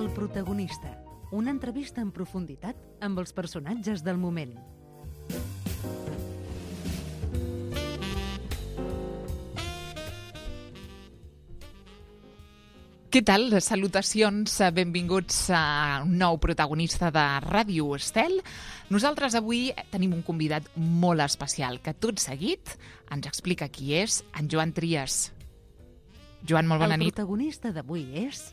El protagonista. Una entrevista en profunditat amb els personatges del moment. Què tal? Salutacions, benvinguts a un nou protagonista de Ràdio Estel. Nosaltres avui tenim un convidat molt especial que tot seguit ens explica qui és en Joan Trias. Joan, molt bona nit. El protagonista d'avui és...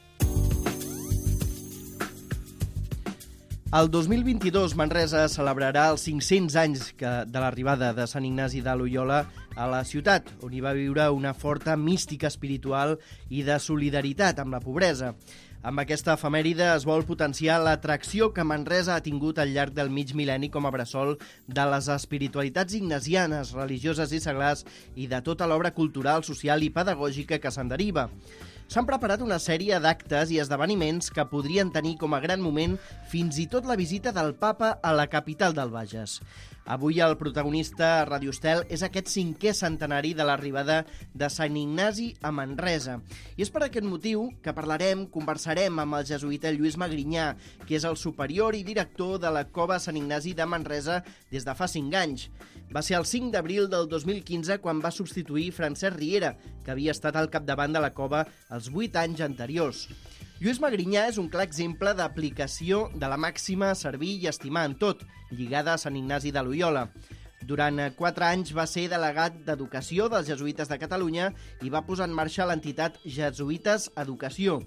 El 2022 Manresa celebrarà els 500 anys de l'arribada de Sant Ignasi de Loiola a la ciutat, on hi va viure una forta mística espiritual i de solidaritat amb la pobresa. Amb aquesta efemèride es vol potenciar l'atracció que Manresa ha tingut al llarg del mig mil·lenni com a bressol de les espiritualitats ignasianes, religioses i seglars i de tota l'obra cultural, social i pedagògica que se'n deriva. S'han preparat una sèrie d'actes i esdeveniments que podrien tenir com a gran moment fins i tot la visita del Papa a la capital del Bages. Avui el protagonista a Ràdio Estel és aquest 5è centenari de l'arribada de Sant Ignasi a Manresa. I és per aquest motiu que conversarem amb el jesuïta Lluís Magrinyà, que és el superior i director de la Cova Sant Ignasi de Manresa des de fa 5 anys. Va ser el 5 d'abril del 2015 quan va substituir Francesc Riera, que havia estat al capdavant de la cova els 8 anys anteriors. Lluís Magrinyà és un clar exemple d'aplicació de la màxima servir i estimar en tot, lligada a Sant Ignasi de Loiola. Durant 4 anys va ser delegat d'Educació dels Jesuïtes de Catalunya i va posar en marxa l'entitat Jesuïtes Educació.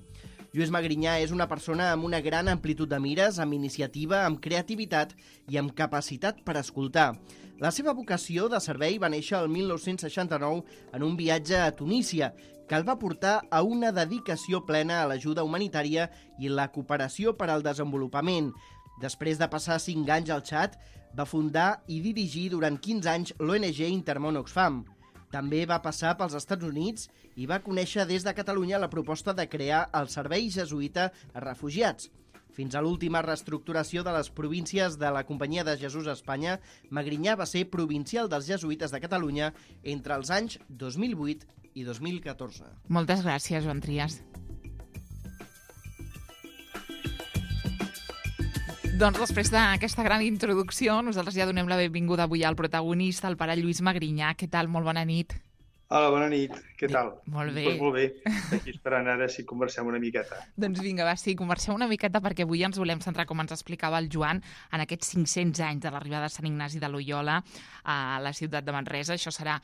Lluís Magrinyà és una persona amb una gran amplitud de mires, amb iniciativa, amb creativitat i amb capacitat per escoltar. La seva vocació de servei va néixer el 1969 en un viatge a Tunísia, que el va portar a una dedicació plena a l'ajuda humanitària i la cooperació per al desenvolupament. Després de passar 5 anys al Txad, va fundar i dirigir durant 15 anys l'ONG Intermón Oxfam. També va passar pels Estats Units i va conèixer des de Catalunya la proposta de crear el Servei Jesuïta a Refugiats. Fins a l'última reestructuració de les províncies de la Companyia de Jesús a Espanya, Magrinyà va ser provincial dels Jesuïtes de Catalunya entre els anys 2008 i 2014. Moltes gràcies, Joan Trias. Doncs després d'aquesta gran introducció, nosaltres ja donem la benvinguda avui al protagonista, el pare Lluís Magrinyà. Què tal? Molt bona nit. Hola, bona nit. Què tal? Molt bé. Doncs molt bé. Aquí esperant ara si conversem una miqueta. Doncs vinga, va, sí, conversem una miqueta perquè avui ens volem centrar, com ens explicava el Joan, en aquests 500 anys de l'arribada de Sant Ignasi de Loiola a la ciutat de Manresa. Això serà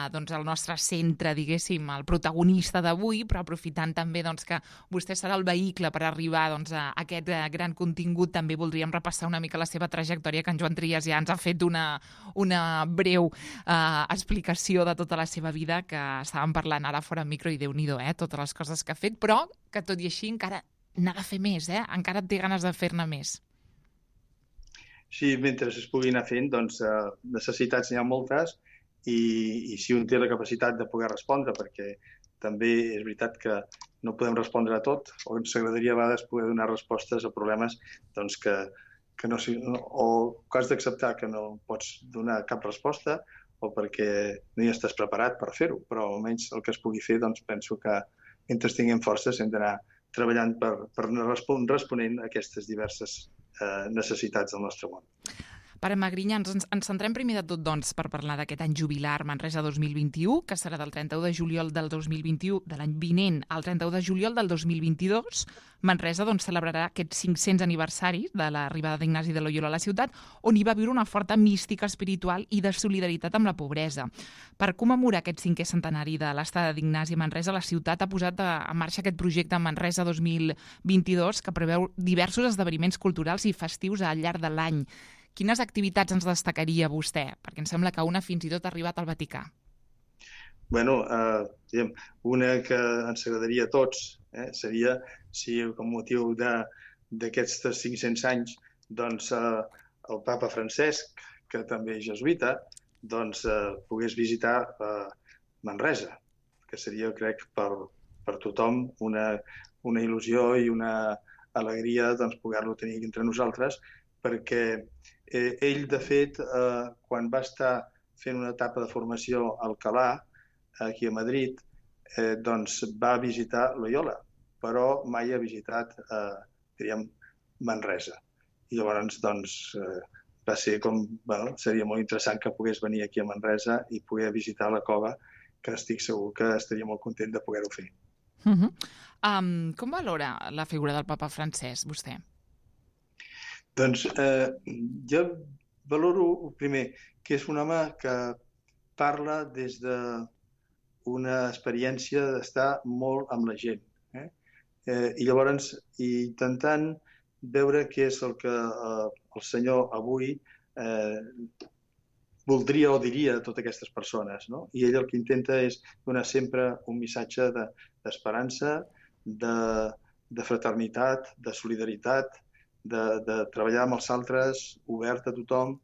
doncs, el nostre centre, diguéssim, el protagonista d'avui, però aprofitant també doncs, que vostè serà el vehicle per arribar doncs, a aquest gran contingut, també voldríem repassar una mica la seva trajectòria, que en Joan Trias ja ens ha fet una breu explicació de tota la seva vida, que estàvem parlant ara fora micro i Déu-n'hi-do, totes les coses que ha fet, però que tot i així encara n'ha de fer més, encara té ganes de fer-ne més. Sí, mentre es pugui anar fent, doncs necessitats n'hi ha moltes i si un té la capacitat de poder respondre, perquè també és veritat que no podem respondre a tot, o ens agradaria a vegades poder donar respostes a problemes doncs, que no, o que has d'acceptar que no pots donar cap resposta, o perquè no hi estàs preparat per fer-ho, però almenys el que es pugui fer, doncs penso que mentre tinguem forces hem d'anar treballant per anar responent a aquestes diverses necessitats del nostre món. Pare Magrinyà, ens centrem primer de tot doncs, per parlar d'aquest any jubilar Manresa 2021, que serà del 31 de juliol del 2021, de l'any vinent al 31 de juliol del 2022. Manresa doncs, celebrarà aquests 500 aniversaris de l'arribada d'Ignasi de Loiola a la ciutat, on hi va viure una forta mística espiritual i de solidaritat amb la pobresa. Per commemorar aquest 5è centenari de l'estada d'Ignasi a Manresa, la ciutat ha posat en marxa aquest projecte Manresa 2022, que preveu diversos esdeveniments culturals i festius al llarg de l'any. Quines activitats ens destacaria vostè? Perquè em sembla que una fins i tot ha arribat al Vaticà. Bueno, una que ens agradaria a tots seria si com motiu d'aquests 500 anys doncs, el papa Francesc, que també és jesuïta, doncs, pogués visitar Manresa, que seria, crec, per tothom una il·lusió i una alegria doncs, poder-lo tenir entre nosaltres, perquè ell, de fet, quan va estar fent una etapa de formació a Alcalà, aquí a Madrid, doncs va visitar Loiola, però mai ha visitat diríem, Manresa. I llavors, doncs, va ser com, seria molt interessant que pogués venir aquí a Manresa i poder visitar la cova, que estic segur que estaria molt content de poder-ho fer. Com valora la figura del papa Francesc, vostè? Doncs jo valoro, primer, que és un home que parla des d'una experiència d'estar molt amb la gent. I llavors, intentant veure què és el que el senyor avui voldria o diria a totes aquestes persones, no? I ell el que intenta és donar sempre un missatge d'esperança, de fraternitat, de solidaritat, de treballar amb els altres, obert a tothom.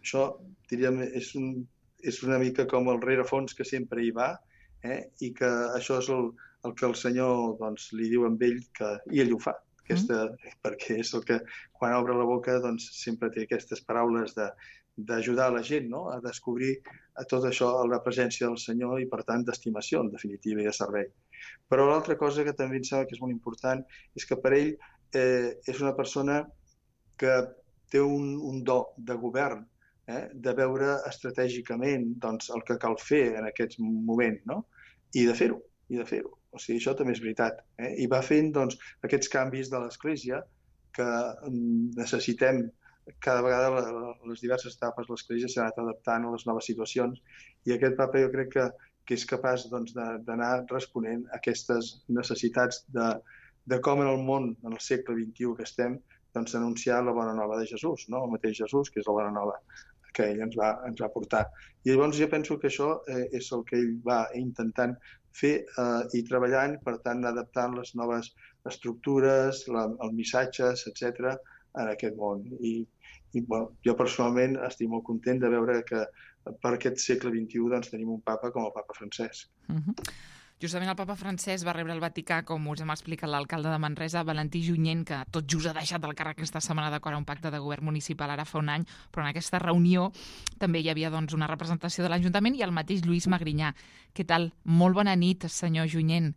Això, diríem, és una mica com el rerefons que sempre hi va, i que això és el que el senyor doncs, li diu amb ell, i ell ho fa. Perquè és el que, quan obre la boca, doncs, sempre té aquestes paraules d'ajudar la gent, no? A descobrir a tot això la presència del Senyor i, per tant, d'estimació, en definitiva, i de servei. Però l'altra cosa que també em sembla que és molt important és que per ell és una persona que té un do de govern, de veure estratègicament doncs, el que cal fer en aquest moment, no? I de fer-ho. O sigui, això també és veritat. I va fent doncs, aquests canvis de l'Església que necessitem. Cada vegada les diverses etapes de l'Església s'ha anat adaptant a les noves situacions i aquest papa jo crec que és capaç doncs, d'anar responent a aquestes necessitats de com en el món, en el segle XXI que estem, doncs, anunciar la bona nova de Jesús, no? El mateix Jesús, que és la bona nova que ell ens va portar. I llavors jo penso que això és el que ell va intentant fer i treballant, per tant, adaptant les noves estructures, els missatges, etc., en aquest món. I jo personalment estic molt content de veure que per aquest segle XXI doncs, tenim un papa com el papa Francesc. Justament el papa Francesc va rebre al Vaticà, com us hem explicat l'alcalde de Manresa, Valentí Junyent, que tot just ha deixat el càrrec aquesta setmana d'acord a un pacte de govern municipal ara fa un any, però en aquesta reunió també hi havia doncs, una representació de l'Ajuntament i el mateix Lluís Magrinyà. Què tal? Molt bona nit, senyor Junyent.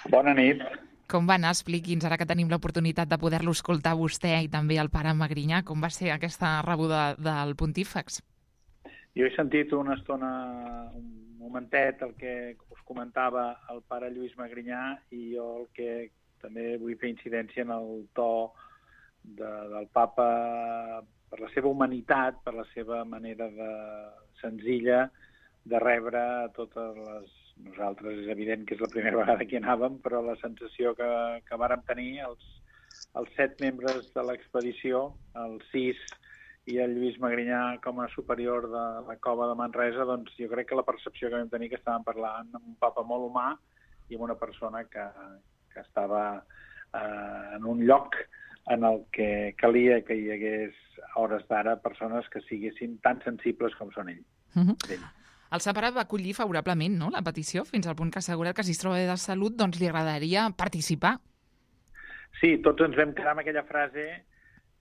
Bona nit. Com va anar? Expliqui'ns, ara que tenim l'oportunitat de poder-lo escoltar a vostè i també al pare Magrinyà, com va ser aquesta rebuda del pontífex? Jo he sentit una estona, un momentet, el que us comentava el pare Lluís Magrinyà i jo el que també vull fer incidència en el to del papa per la seva humanitat, per la seva manera senzilla de rebre totes les... Nosaltres és evident que és la primera vegada que hi anàvem, però la sensació que vàrem tenir els 7 membres de l'expedició, els 6 i el Lluís Magrinyà com a superior de la cova de Manresa, doncs jo crec que la percepció que vam tenir que estàvem parlant amb un papa molt humà i amb una persona que estava en un lloc en el que calia que hi hagués a hores d'ara persones que siguessin tan sensibles com són ell. El separat va acollir favorablement, no?, la petició, fins al punt que ha assegurat que si es troba bé de salut doncs li agradaria participar. Sí, tots ens vam quedar amb aquella frase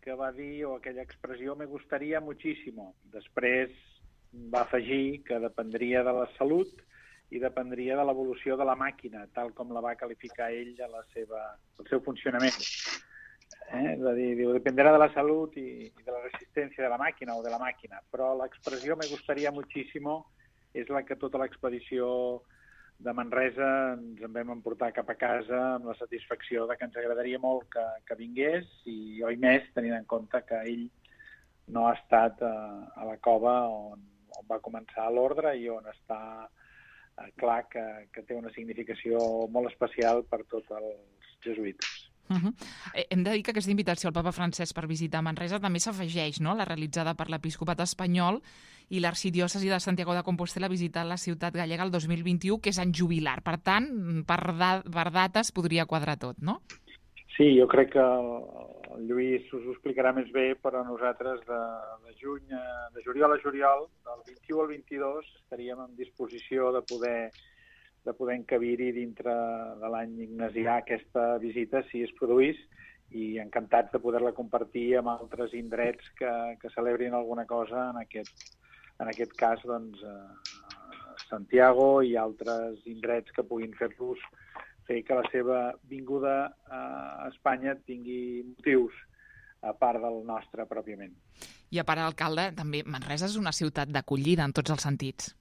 que va dir, o aquella expressió, me gustaría muchísimo. Després va afegir que dependria de la salut i dependria de l'evolució de la màquina, tal com la va qualificar ell al seu funcionament. Va dir, dependerà de la salut i de la resistència de la màquina o de la màquina, però l'expressió me gustaría muchísimo és la que tota l'expedició de Manresa ens en vam emportar cap a casa amb la satisfacció de que ens agradaria molt que vingués i oi més tenint en compte que ell no ha estat a la cova on va començar l'ordre i on està clar que té una significació molt especial per tots els jesuïtes. Hem de dir que aquesta invitació al papa Francesc per visitar Manresa també s'afegeix, no?, la realitzada per l'episcopat espanyol i l'arxidiòcesi de Santiago de Compostela visitant la ciutat gallega el 2021, que és any jubilar. Per tant, per dates podria quadrar tot, no? Sí, jo crec que el Lluís us ho explicarà més bé, però nosaltres de juliol a juliol, del 21 al 22, estaríem en disposició de poder encabir-hi dintre de l'any ignasià aquesta visita, si es produís, i encantats de poder-la compartir amb altres indrets que celebrin alguna cosa, en aquest cas, doncs, Santiago i altres indrets que puguin fer-los fer que la seva vinguda a Espanya tingui motius a part del nostre pròpiament. I a part d'alcalde, també Manresa és una ciutat d'acollida en tots els sentits.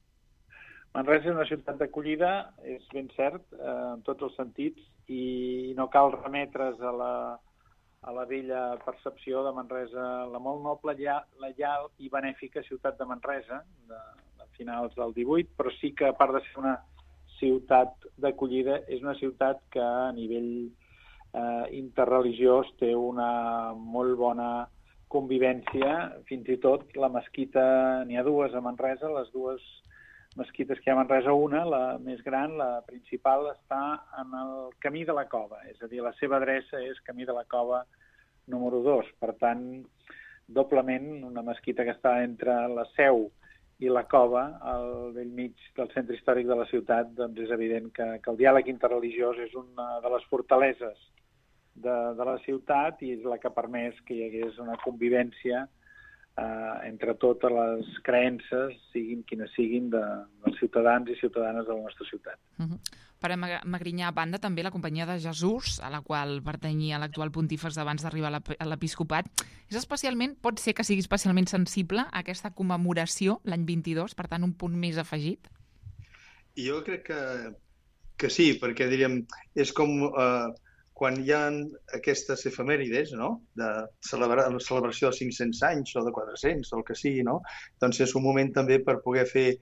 Manresa és una ciutat d'acollida, és ben cert, en tots els sentits, i no cal remetre's a la vella percepció de Manresa, la molt noble, lleial i benèfica ciutat de Manresa, de finals del 18, però sí que, a part de ser una ciutat d'acollida, és una ciutat que a nivell interreligiós té una molt bona convivència, fins i tot la mesquita, n'hi ha dues a Manresa, les dues mesquites que hi ha a Manresa, una, la més gran, la principal, està en el Camí de la Cova, és a dir, la seva adreça és Camí de la Cova número 2, per tant, doblement una mesquita que està entre la Seu i la Cova, al bell mig del centre històric de la ciutat, doncs és evident que el diàleg interreligiós és una de les fortaleses de la ciutat i és la que ha permès que hi hagués una convivència entre totes les creences, siguin quines siguin, dels ciutadans i ciutadanes de la nostra ciutat. Per a Magrinyà, a banda, també la Companyia de Jesús, a la qual pertanyia l'actual pontífex abans d'arribar a l'episcopat, pot ser que sigui especialment sensible a aquesta commemoració l'any 22, per tant, un punt més afegit? Jo crec que sí, perquè diríem, és com quan hi ha aquestes efemèrides, no?, de la celebració de 500 anys o de 400 o el que sigui, no?, doncs és un moment també per poder fer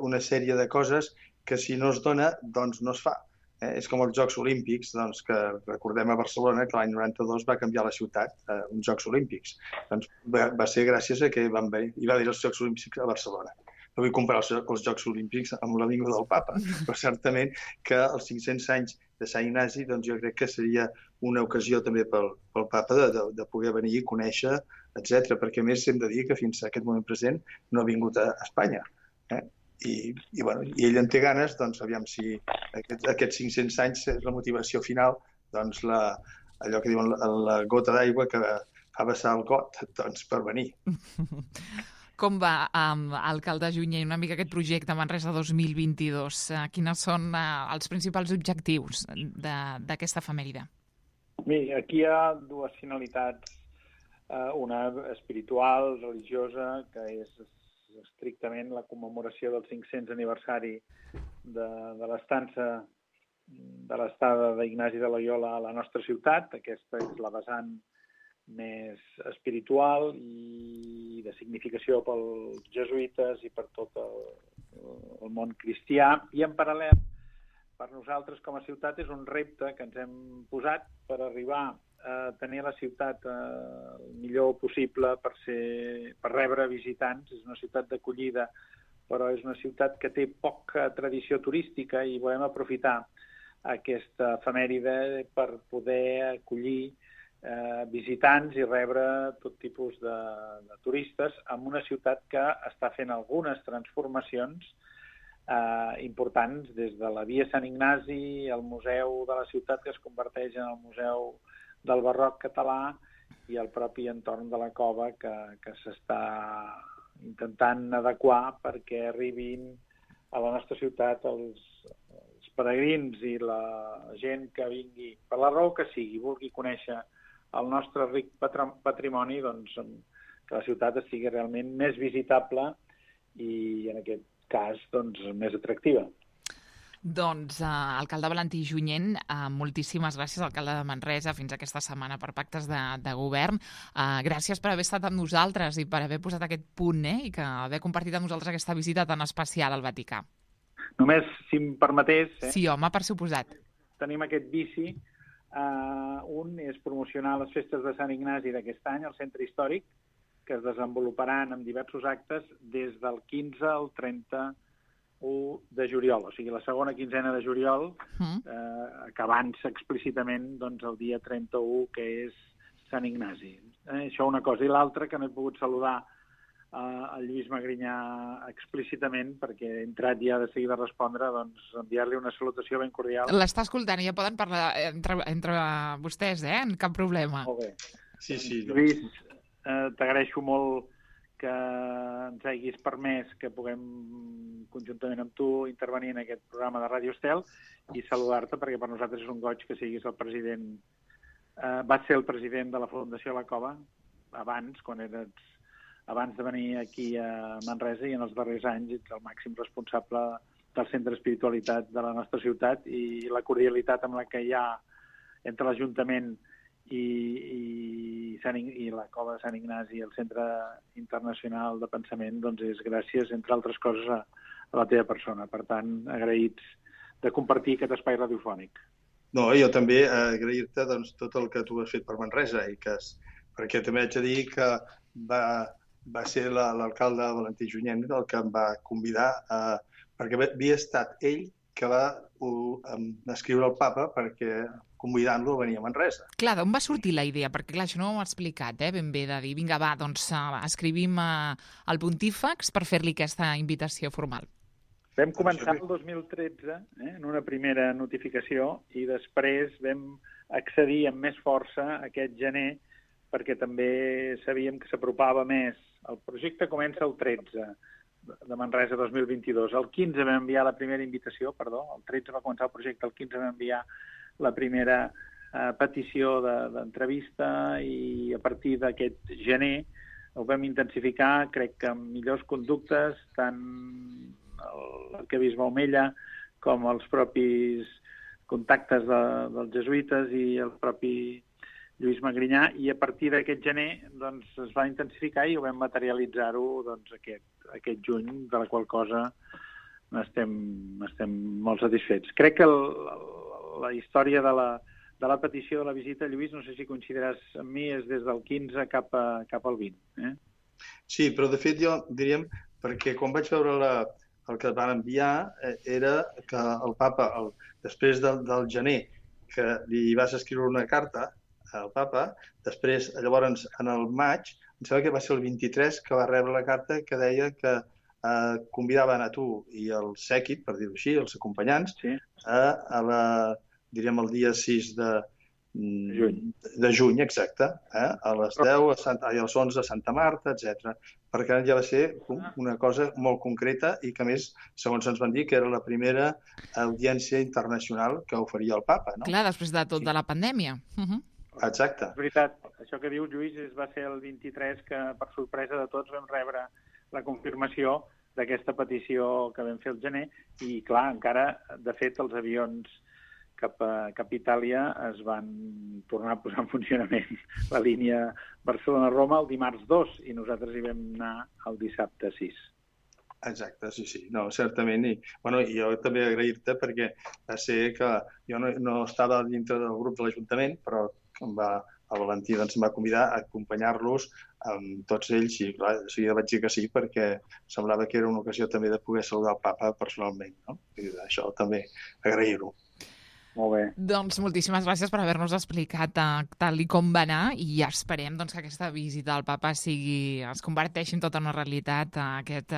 una sèrie de coses que si no es dona, doncs no es fa. És com els Jocs Olímpics, doncs, que recordem a Barcelona que l'any 92 va canviar la ciutat a uns Jocs Olímpics. Doncs va ser gràcies a que hi va haver els Jocs Olímpics a Barcelona. No vull comparar els Jocs Olímpics amb la vinguda del papa, però certament que els 500 anys de Sant Ignasi, doncs jo crec que seria una ocasió també pel papa de poder venir i conèixer, etc. Perquè a més hem de dir que fins a aquest moment present no ha vingut a Espanya. I ell en té ganes, doncs aviam si aquests 500 anys és la motivació final, doncs allò que diuen la gota d'aigua que fa vessar el got, doncs per venir. Com va, alcalde Junyent, una mica aquest projecte Manresa 2022? Quins són els principals objectius d'aquesta efemèride? Bé, aquí hi ha dues finalitats. Una espiritual, religiosa, que és estrictament la commemoració del 500 aniversari de l'estada d'Ignasi de Loiola a la nostra ciutat. Aquesta és la vessant més espiritual i de significació pels jesuïtes i per tot el món cristià. I en paral·lel, per nosaltres com a ciutat és un repte que ens hem posat per arribar a tenir la ciutat el millor possible per rebre visitants. És una ciutat d'acollida, però és una ciutat que té poca tradició turística i volem aprofitar aquesta efemèride per poder acollir visitants i rebre tot tipus de turistes en una ciutat que està fent algunes transformacions importants, des de la Via Sant Ignasi, el museu de la ciutat que es converteix en el museu del barroc català i el propi entorn de la cova que s'està intentant adequar perquè arribin a la nostra ciutat els peregrins i la gent que vingui, per la raó que sigui, vulgui conèixer el nostre ric patrimoni, doncs que la ciutat sigui realment més visitable i, en aquest cas, doncs, més atractiva. Doncs, alcalde Valentí Junyent, moltíssimes gràcies, alcalde de Manresa, fins aquesta setmana per pactes de govern. Gràcies per haver estat amb nosaltres i per haver posat aquest punt i que haver compartit amb nosaltres aquesta visita tan especial al Vaticà. Només, si em permetés... Sí, home, per suposat. Tenim aquest vici. Un és promocionar les festes de Sant Ignasi d'aquest any al centre històric, que es desenvoluparan amb diversos actes des del 15 al 31 de juliol, o sigui, la segona quinzena de juliol, acabant-se explícitament doncs, el dia 31, que és Sant Ignasi. Això una cosa. I l'altra, que no he pogut saludar el Lluís Magrinyà explícitament, perquè he entrat ja de seguida a respondre, doncs enviar-li una salutació ben cordial. L'està escoltant i ja poden parlar entre vostès, cap problema. Molt bé. Sí. Lluís, t'agraeixo molt que ens hagis permès que puguem, conjuntament amb tu, intervenir en aquest programa de Ràdio Estel i saludar-te, perquè per nosaltres és un goig que siguis el president. Vas ser el president de la Fundació La Cova abans de venir aquí a Manresa, i en els darrers anys ets el màxim responsable del Centre d'Espiritualitat de la nostra ciutat, i la cordialitat amb la que hi ha entre l'Ajuntament i la Cova de Sant Ignasi i el Centre Internacional de Pensament, doncs és gràcies, entre altres coses, a la teva persona. Per tant, agraïts de compartir aquest espai radiofònic. No, jo també agrair-te tot el que tu has fet per Manresa, perquè també haig de dir que va ser l'alcalde Valentí Junyent el que em va convidar, perquè havia estat ell que va escriure al papa perquè convidant-lo a venir a Manresa. Clar, d'on va sortir la idea? Perquè clar, això no ho ha explicat ben bé, de dir, vinga, va, doncs escrivim al Pontífex per fer-li aquesta invitació formal. Vam començar el 2013 en una primera notificació, i després vam accedir amb més força aquest gener, perquè també sabíem que s'apropava més. El projecte comença el 13 de Manresa 2022. El 15 vam enviar la primera invitació, el 13 va començar el projecte, el 15 vam enviar la primera petició d'entrevista, i a partir d'aquest gener ho vam intensificar, crec que amb millors conductes, tant l'arquebisbe Omella com els propis contactes dels jesuïtes i el propi Lluís Magrinyà, i a partir d'aquest gener doncs, es va intensificar i ho vam materialitzar-ho doncs, aquest juny, de la qual cosa estem molt satisfets. Crec que la història de la petició de la visita, Lluís, no sé si coincidiràs amb mi, és des del 15 cap al 20. Sí, però de fet jo diríem, perquè quan vaig veure el que van enviar era que el papa, després del gener, que li vas escriure una carta al papa, després, llavors, en el maig, em sembla que va ser el 23, que va rebre la carta que deia que convidaven a tu i el sèquit, per dir-ho així, els acompanyants, sí, diríem el dia 6 de juny, exacte, a les 10, a les 11 a Santa Marta, etc. Perquè ja va ser una cosa molt concreta i que, a més, segons ens van dir, que era la primera audiència internacional que oferia el papa. No? Clar, després de tot de la pandèmia. Exacte. És veritat, això que diu Lluís va ser el 23 que, per sorpresa de tots, vam rebre la confirmació d'aquesta petició que vam fer el gener, i clar, encara, de fet, els avions cap a Itàlia es van tornar a posar en funcionament la línia Barcelona-Roma el dimarts 2, i nosaltres hi vam anar el dissabte 6. Exacte, sí. No, certament. I jo també agrair-te, perquè va ser que jo no estava dintre del grup de l'Ajuntament, però el Valentí em va convidar a acompanyar-los amb tots ells, i clar, de seguida vaig dir que sí, perquè semblava que era una ocasió també de poder saludar el papa personalment. No? I això també agrair-ho. Molt bé. Doncs moltíssimes gràcies per haver-nos explicat tal i com va anar, i ja esperem doncs, que aquesta visita al papa es converteixi en tota una realitat aquest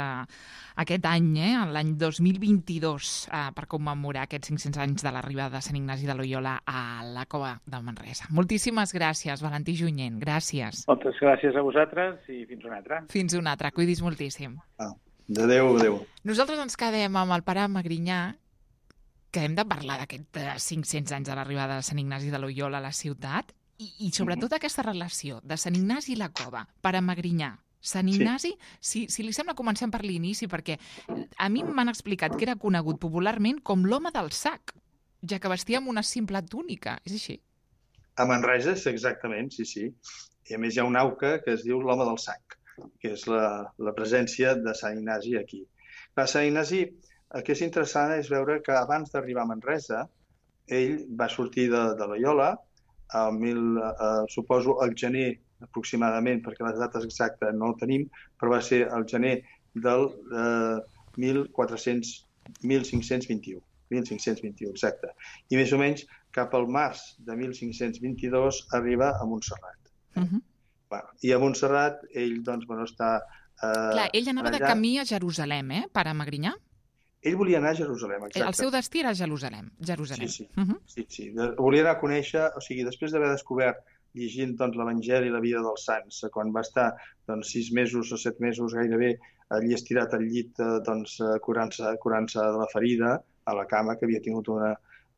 any, l'any 2022, per commemorar aquests 500 anys de l'arribada de Sant Ignasi de Loyola a la Cova de Manresa. Moltíssimes gràcies, Valentí Junyent. Gràcies. Moltes gràcies a vosaltres i fins una altra. Fins una altra. Cuidis moltíssim. Adéu. Nosaltres ens quedem amb el pare Magrinyà, que hem de parlar d'aquests 500 anys de l'arribada de Sant Ignasi de Loyola a la ciutat, i sobretot aquesta relació de Sant Ignasi i la Cova, pare Magrinyà. Sant Ignasi, si li sembla, comencem per l'inici, perquè a mi m'han explicat que era conegut popularment com l'home del sac, ja que vestia amb una simple túnica. És així? A Manresa, exactament, sí. I a més hi ha un auca que es diu l'home del sac, que és la presència de Sant Ignasi aquí. Sant Ignasi, el que és interessant és veure que abans d'arribar a Manresa, ell va sortir de Loyola, suposo el gener aproximadament, perquè les dates exactes no ho tenim, però va ser el gener del 1521, exacte. I més o menys cap al març de 1522 arriba a Montserrat. I a Montserrat ell està... Clar, ell anava de camí a Jerusalem, pare Magrinyà? Ell volia anar a Jerusalem, exacte. El seu destí era Jerusalem. Sí. Volia anar a conèixer, o sigui, després d'haver descobert llegint doncs, l'Evangeli i la vida dels sants. Quan va estar 6 mesos o 7 mesos gairebé allí estirat al llit, curant-se de la ferida, a la cama, que havia tingut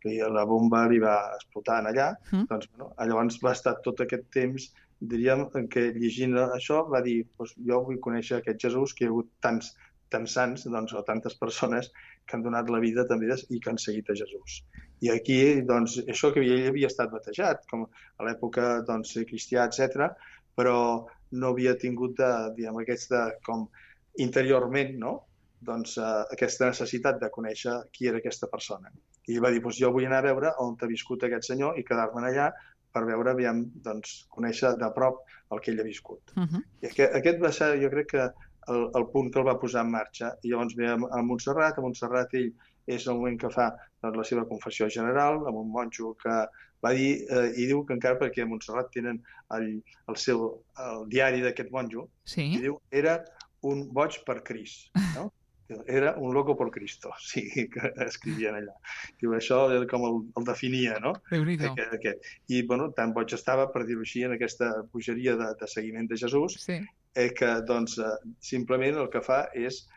que la bomba li va explotar allà, llavors va estar tot aquest temps, diríem, que llegint això va dir, jo vull conèixer aquest Jesús, que hi ha hagut tants sants, o tantes persones que han donat la vida també i que han seguit a Jesús. I aquí, això que ell havia estat batejat, com a l'època cristià, etc., però no havia tingut, com interiorment, no?, aquesta necessitat de conèixer qui era aquesta persona. I va dir, jo vull anar a veure on ha viscut aquest senyor i quedar-me'n allà per veure, conèixer de prop el que ell ha viscut. I aquest va ser, jo crec que, el punt que el va posar en marxa. I llavors ve a Montserrat. A Montserrat ell és el moment que fa la seva confessió general, amb un monjo que va dir, i diu que encara perquè a Montserrat tenen el diari d'aquest monjo, i diu, era un boig per Crist, no? Era un loco por Cristo, sí, que escrivien allà. Diu, això com el definia, no? I, tan boig estava, per dir-ho així, en aquesta bogeria de seguiment de Jesús, que, simplement el que fa és,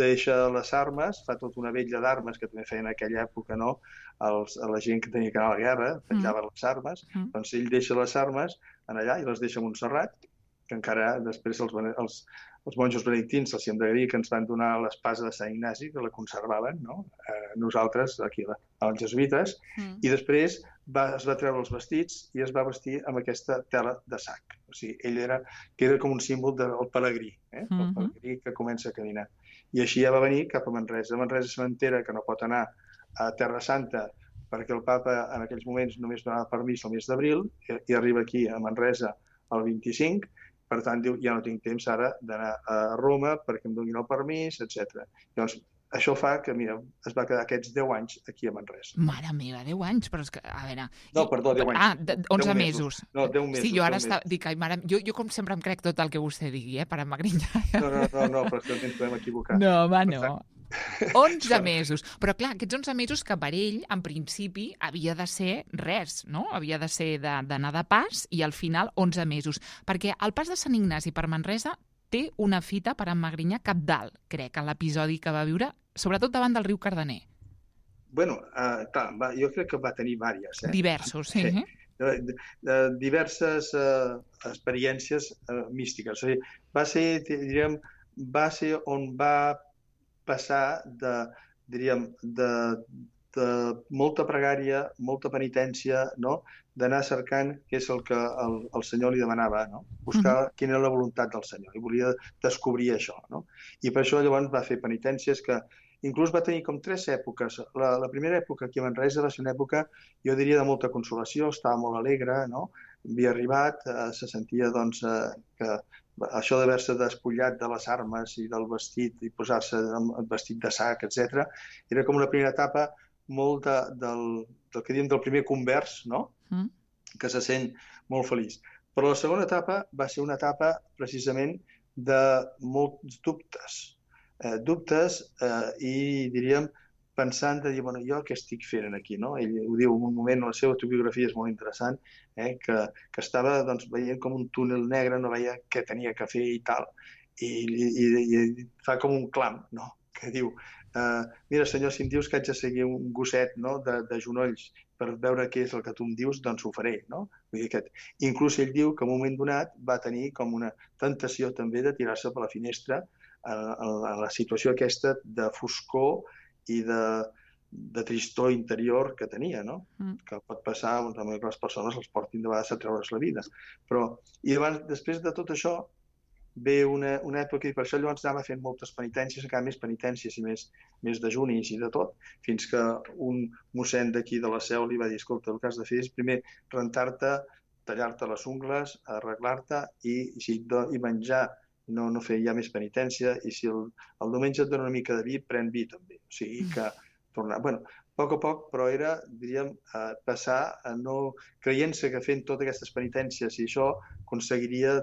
deixa les armes, fa tota una vetlla d'armes que també feien en aquella època, no?, a la gent que tenia que anar a la guerra, penjaven les armes, ell deixa les armes allà i les deixa a Montserrat, que encara després els monjos benedictins els hem de dir que ens van donar l'espasa de Sant Ignasi, que la conservaven, no?, nosaltres, aquí, els jesuïtes, i després es va treure els vestits i es va vestir amb aquesta tela de sac. O sigui, que era com un símbol del pelegrí, el pelegrí que comença a caminar. I així ja va venir cap a Manresa. A Manresa se n'entera que no pot anar a Terra Santa perquè el papa en aquells moments només donava permís el mes d'abril i arriba aquí a Manresa el 25. Per tant, diu, ja no tinc temps ara d'anar a Roma perquè em donin el permís, etc. Llavors, això fa que, mira, es va quedar aquests 10 anys aquí a Manresa. Mare meva, 10 anys? Però és que, a veure... No, perdó, 10 anys. 11 mesos. No, 10 mesos. Sí, jo ara dic, ai, mare, jo com sempre em crec tot el que vostè digui, per Magrinyà. No, però és que ens podem equivocar. No, home, no. 11 mesos. Però clar, aquests 11 mesos que per ell, en principi, havia de ser res, no? Havia de ser d'anar de pas i al final 11 mesos. Perquè el pas de Sant Ignasi per Manresa té una fita per en Magrinyà cabdal, crec, en l'episodi que va viure, sobretot davant del riu Cardener. Bueno, clar, jo crec que va tenir diverses. Diversos, sí. Diverses experiències místiques. O sigui, va ser on va passar de molta pregària, molta penitència, no?, d'anar cercant què és el que el Senyor li demanava, no?, buscar quina era la voluntat del Senyor, i volia descobrir això, no? I per això llavors va fer penitències que inclús va tenir com 3 èpoques. La primera època aquí a Manresa va ser una època, jo diria, de molta consolació, estava molt alegre, no?, havia arribat, se sentia, que això d'haver-se despullat de les armes i del vestit i posar-se el vestit de sac, etc., era com una primera etapa molt del que diem del primer convers, no?, que se sent molt feliç. Però la segona etapa va ser una etapa precisament de molts dubtes i diríem pensant de dir, bueno, jo què estic fent aquí, no? Ell ho diu en un moment, la seva autobiografia és molt interessant, que estava veient com un túnel negre, no veia què tenia que fer i tal, i fa com un clam, no?, que diu, mira, senyor, si em dius que haig de seguir un gosset, no?, de genolls per veure què és el que tu em dius, doncs ho faré, no? Vull dir, inclús ell diu que en un moment donat va tenir com una tentació també de tirar-se per la finestra en la situació aquesta de foscor i de tristor interior que tenia, no? Que pot passar, també que les persones els portin de vegades a treure's la vida. I després de tot això ve una època, i per això llavors anava fent moltes penitències, encara més penitències i més dejunis i de tot, fins que un mossèn d'aquí de la Seu li va dir, escolta, el que has de fer és primer rentar-te, tallar-te les ungles, arreglar-te i menjar, no fer ja més penitència, i si el diumenge et dona una mica de vi, pren vi també. O sigui que tornar... Bueno, a poc, però era, diríem, passar creient-se que fent totes aquestes penitències i això aconseguiria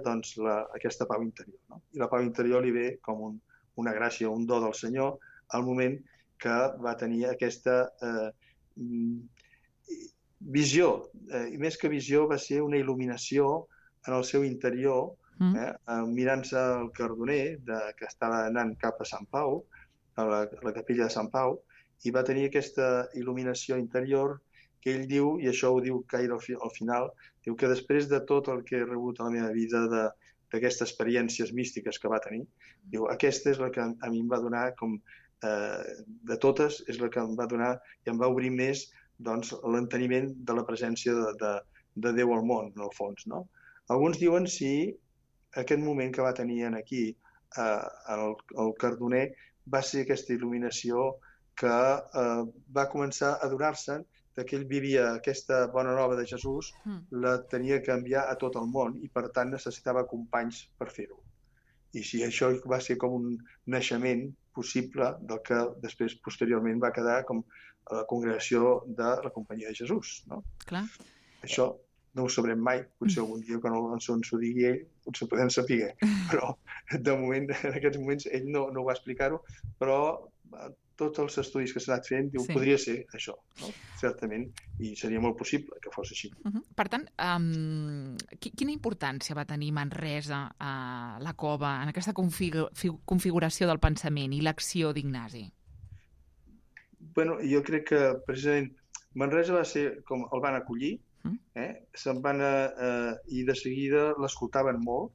aquesta pau interior, no? I la pau interior li ve com una gràcia, un do del Senyor, al moment que va tenir aquesta visió, i més que visió va ser una il·luminació en el seu interior, mirant-se el Cardoner, que estava anant cap a Sant Pau, a la capella de Sant Pau, i va tenir aquesta il·luminació interior que ell diu, i això ho diu Caire al final, diu que després de tot el que he rebut a la meva vida d'aquestes experiències místiques que va tenir, diu, aquesta és la que a mi em va donar, de totes, és la que em va donar i em va obrir més l'enteniment de la presència de Déu al món, en el fons. Alguns diuen si aquest moment que va tenir aquí el Cardoner va ser aquesta il·luminació que va començar a adonar-se'n que ell vivia aquesta bona nova de Jesús, la tenia que enviar a tot el món i, per tant, necessitava companys per fer-ho. I si això va ser com un naixement possible del que després, posteriorment, va quedar com la congregació de la Companyia de Jesús. Clar. Això no ho sabrem mai, potser algun dia quan ens ho digui ell, potser podem saber, però de moment, en aquests moments, ell no va explicar-ho, però tots els estudis que s'ha anat fent, diu, podria ser això, certament, i seria molt possible que fos així. Per tant, quina importància va tenir Manresa a la cova en aquesta configuració del pensament i l'acció d'Ignasi? Bueno, jo crec que precisament Manresa va ser com el van acollir, se'n van i de seguida l'escoltaven molt.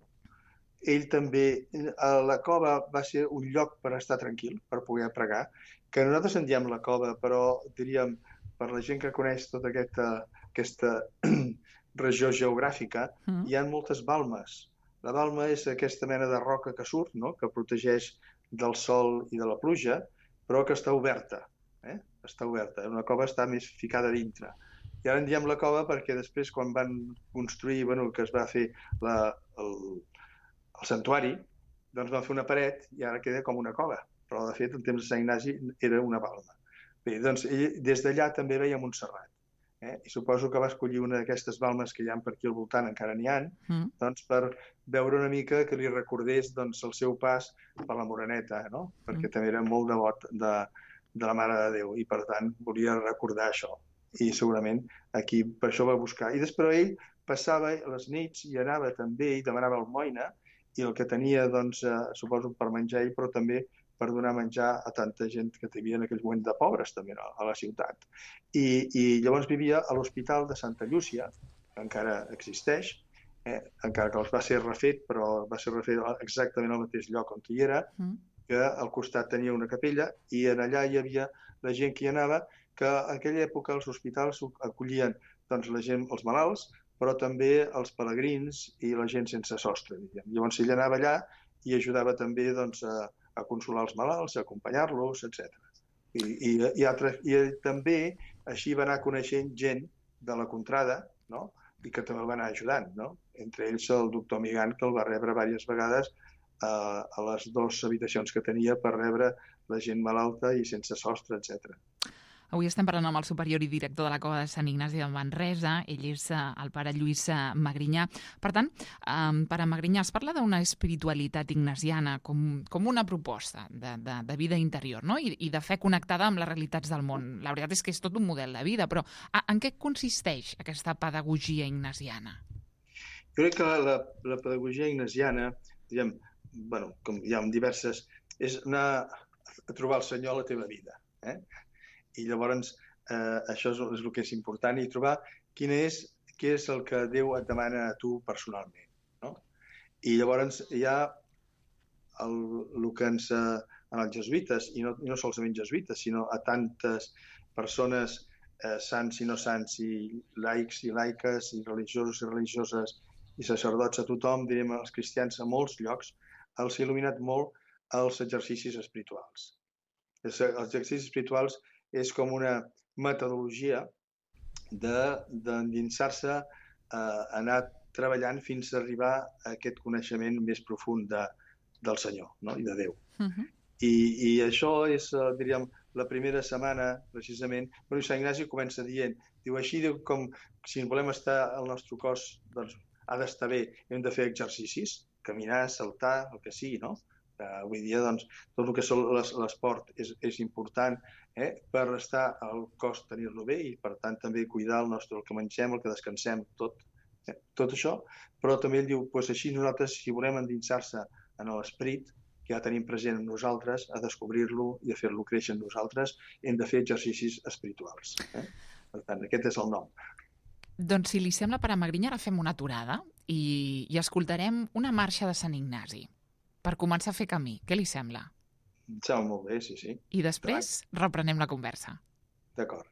Ell també, la cova va ser un lloc per estar tranquil, per poder pregar, que nosaltres en diem la cova, però diríem, per la gent que coneix tota aquesta regió geogràfica, hi ha moltes balmes. La balma és aquesta mena de roca que surt, que protegeix del sol i de la pluja, però que està oberta. Està oberta. Una cova està més ficada dintre. I ara en diem la cova perquè després, quan van construir, que es va fer el santuari, doncs van fer una paret i ara queda com una cova. Però, de fet, en temps de Sant Ignasi era una balma. Bé, doncs, ell, des d'allà també veia Montserrat. I suposo que va escollir una d'aquestes balmes que hi ha per aquí al voltant, encara n'hi ha, doncs per veure una mica que li recordés el seu pas per la Moreneta, perquè també era molt devot de la Mare de Déu i, per tant, volia recordar això. I segurament aquí per això va buscar. I després ell passava les nits i anava també i demanava almoina i el que tenia, suposo, per menjar ell, però també per donar menjar a tanta gent que hi havia en aquell moment de pobres també a la ciutat. I llavors vivia a l'Hospital de Santa Llúcia, que encara existeix, encara que va ser refet, però va ser refet exactament al mateix lloc on hi era, que al costat tenia una capella i en allà hi havia la gent que hi anava, que en aquella època els hospitals acollien la gent, els malalts, però també els pelegrins i la gent sense sostre. Llavors ell anava allà i ajudava també a consolar els malalts, a acompanyar-los, etc. I també així va anar coneixent gent de la contrada, i que també el va anar ajudant. Entre ells el doctor Migan, que el va rebre diverses vegades a les 2 habitacions que tenia per rebre la gent malalta i sense sostre, etc. Avui estem parlant amb el superior i director de la Cova de Sant Ignasi de Manresa. Ell és el pare Lluís Magrinyà. Per tant, pare Magrinyà, es parla d'una espiritualitat ignasiana com una proposta de vida interior, i de fe connectada amb les realitats del món. La veritat és que és tot un model de vida, però en què consisteix aquesta pedagogia ignasiana? Jo crec que la pedagogia ignasiana, com hi ha diverses, és anar a trobar el Senyor a la teva vida. I llavors això és el que és important, i trobar què és el que Déu et demana a tu personalment. I llavors hi ha el que en els jesuïtes, i no solament jesuïtes, sinó a tantes persones, sants i no sants, i laics i laiques, i religiosos i religioses, i sacerdots, a tothom, direm als cristians, a molts llocs, els ha il·luminat molt els exercicis espirituals. Els exercicis espirituals és com una metodologia d'endinsar-se, anar treballant fins a arribar a aquest coneixement més profund del Senyor i de Déu. I això és, diríem, la primera setmana, precisament. Sant Ignasi comença dient, així com si volem estar al nostre cos, doncs ha d'estar bé, hem de fer exercicis, caminar, saltar, el que sigui, Avui dia, doncs, tot el que és l'esport és important per estar al cos, tenir-lo bé i, per tant, també cuidar el que mengem, el que descansem, tot això. Però també ell diu, doncs així nosaltres, si volem endinsar-se en l'esperit que ja tenim present en nosaltres, a descobrir-lo i a fer-lo créixer en nosaltres, hem de fer exercicis espirituals. Per tant, aquest és el nom. Doncs, si li sembla, Pare Magrinyà, ara fem una aturada i escoltarem una marxa de Sant Ignasi per començar a fer camí. Què li sembla? Em sembla molt bé, sí. I després reprenem la conversa. D'acord.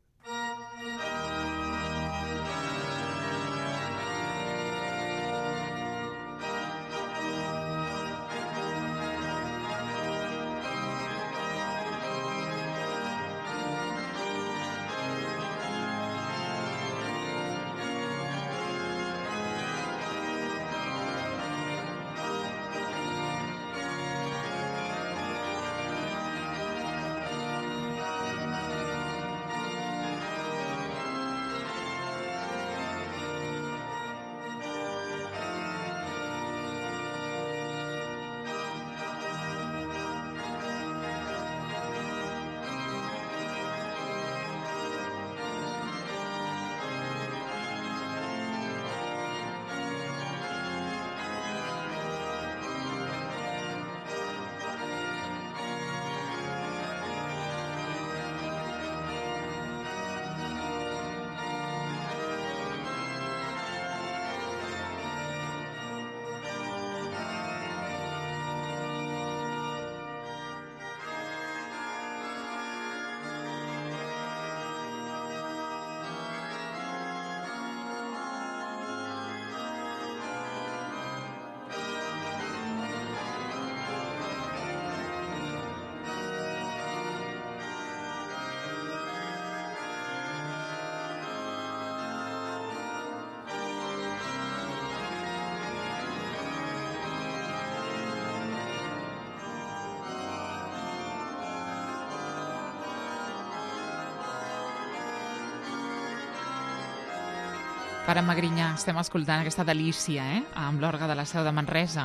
Pare Magrinyà, estem escoltant aquesta delícia, amb l'orgue de la Seu de Manresa.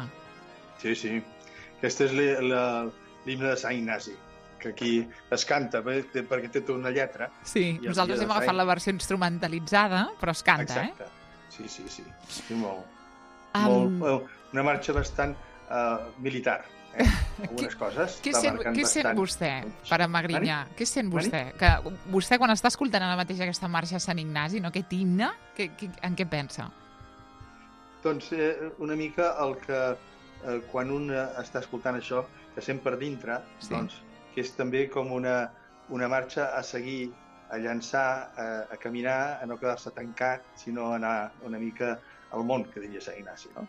Sí. Aquesta és l'himne de Sant Ignasi, que aquí es canta perquè té tota una lletra. Sí, nosaltres hem agafat la versió instrumentalitzada, però es canta, Exacte. Sí, molt. Una marxa bastant militar. Algunes coses. Què sent vostè, Pare Magrinyà? Què sent vostè? Que vostè, quan està escoltant ara mateix aquesta marxa a Sant Ignasi, aquest himne, en què pensa? Doncs una mica el que quan un està escoltant això, que sent per dintre, doncs, que és també com una marxa a seguir, a llançar, a caminar, a no quedar-se tancat, sinó a anar una mica al món, que diria Sant Ignasi, no?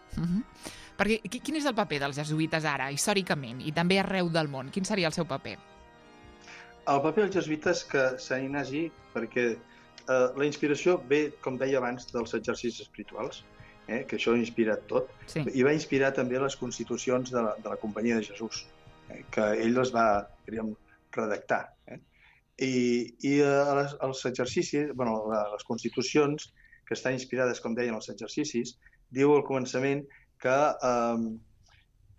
Perquè quin és el paper dels jesuïtes ara, històricament, i també arreu del món? Quin seria el seu paper? El paper dels jesuïtes que Sant Ignasi, perquè la inspiració ve, com deia abans, dels exercicis espirituals, que això ha inspirat tot, i va inspirar també les constitucions de la Companyia de Jesús, que ell les va, redactar. I els exercicis, les constitucions, que estan inspirades, com deien, els exercicis, diu al començament que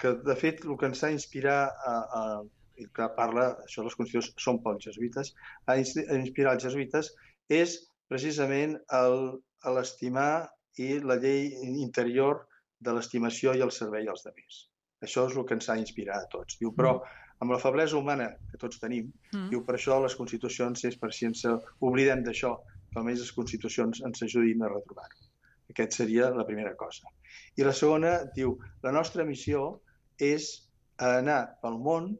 de fet el que ens ha d'inspirar i que parla, això les constitucions són pels jesuïtes, a inspirar els jesuïtes és precisament l'estimar i la llei interior de l'estimació i el servei als altres. Això és el que ens ha d'inspirar a tots. Diu, però amb la feblesa humana que tots tenim, diu, per això les constitucions és per si ens oblidem d'això, que almenys les constitucions ens ajudin a retrobar-ho. Aquesta seria la primera cosa. I la segona, diu, la nostra missió és anar pel món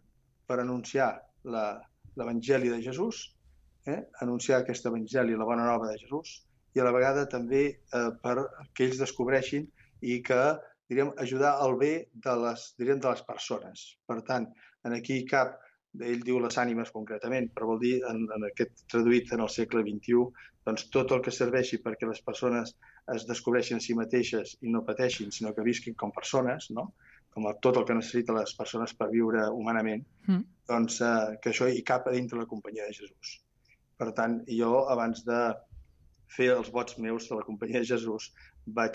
per anunciar l'Evangeli de Jesús, anunciar aquest Evangeli, la bona nova de Jesús, i a la vegada també que ells descobreixin i que, ajudar al bé de les persones. Per tant, aquí cap, ell diu les ànimes concretament, però vol dir, en aquest traduït en el segle XXI, doncs tot el que serveixi perquè les persones es descobreixin a si mateixes i no pateixin, sinó que visquin com persones, no? Com tot el que necessiten les persones per viure humanament, doncs que això hi cap a dintre la Companyia de Jesús. Per tant, jo, abans de fer els vots meus de la Companyia de Jesús, vaig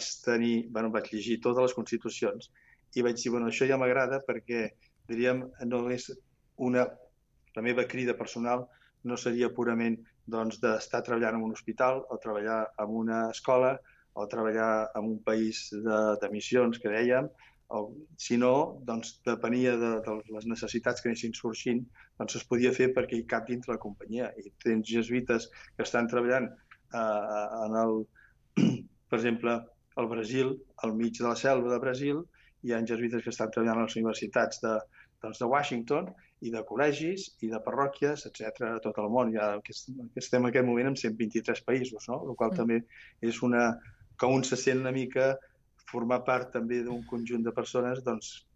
llegir totes les constitucions i vaig dir, això ja m'agrada perquè diríem, no és la meva crida personal no seria purament doncs, d'estar treballant en un hospital o treballar en una escola o treballar en un país de missions, que dèiem, sinó, doncs, depenia de les necessitats que anessin sorgint, doncs es podia fer perquè hi cap dintre la companyia. I tens jesuïtes que estan treballant per exemple, al Brasil, al mig de la selva de Brasil, hi ha jesuïtes que estan treballant a les universitats de Washington i de col·legis i de parròquies, etc. a tot el món. Ja estem en aquest moment en 123 països, no? El qual també és que un se sent una mica formar part també d'un conjunt de persones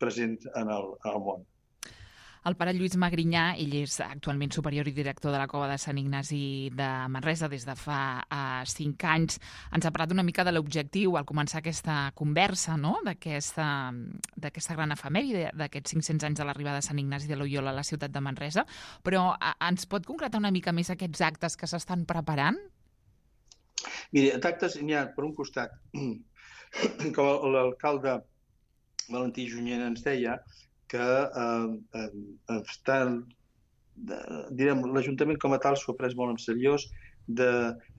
presents en el món. El pare Lluís Magrinyà, ell és actualment superior i director de la Cova de Sant Ignasi de Manresa des de fa 5 anys. Ens ha parlat una mica de l'objectiu al començar aquesta conversa, no? d'aquesta gran efemèride, d'aquests 500 anys de l'arribada de Sant Ignasi de Loyola a la ciutat de Manresa, però ens pot concretar una mica més aquests actes que s'estan preparant? Mira, d'actes n'hi ha, per un costat, com l'alcalde Valentí Junyent ens deia, que l'Ajuntament com a tal s'ho ha pres molt en seriós de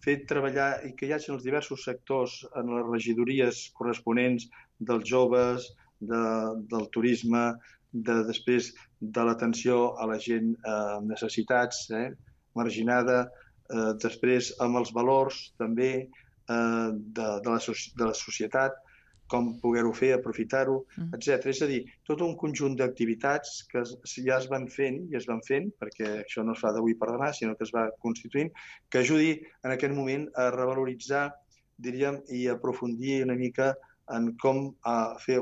fer treballar i que hi hagi els diversos sectors en les regidories corresponents dels joves, del turisme, després de l'atenció a la gent amb necessitats, marginada, després amb els valors també de la societat, com poder-ho fer, aprofitar-ho, etc. És a dir, tot un conjunt d'activitats que ja es van fent, perquè això no es fa d'avui per demà, sinó que es va constituint, que ajudi en aquest moment a revaloritzar, diríem, i aprofundir una mica en com fer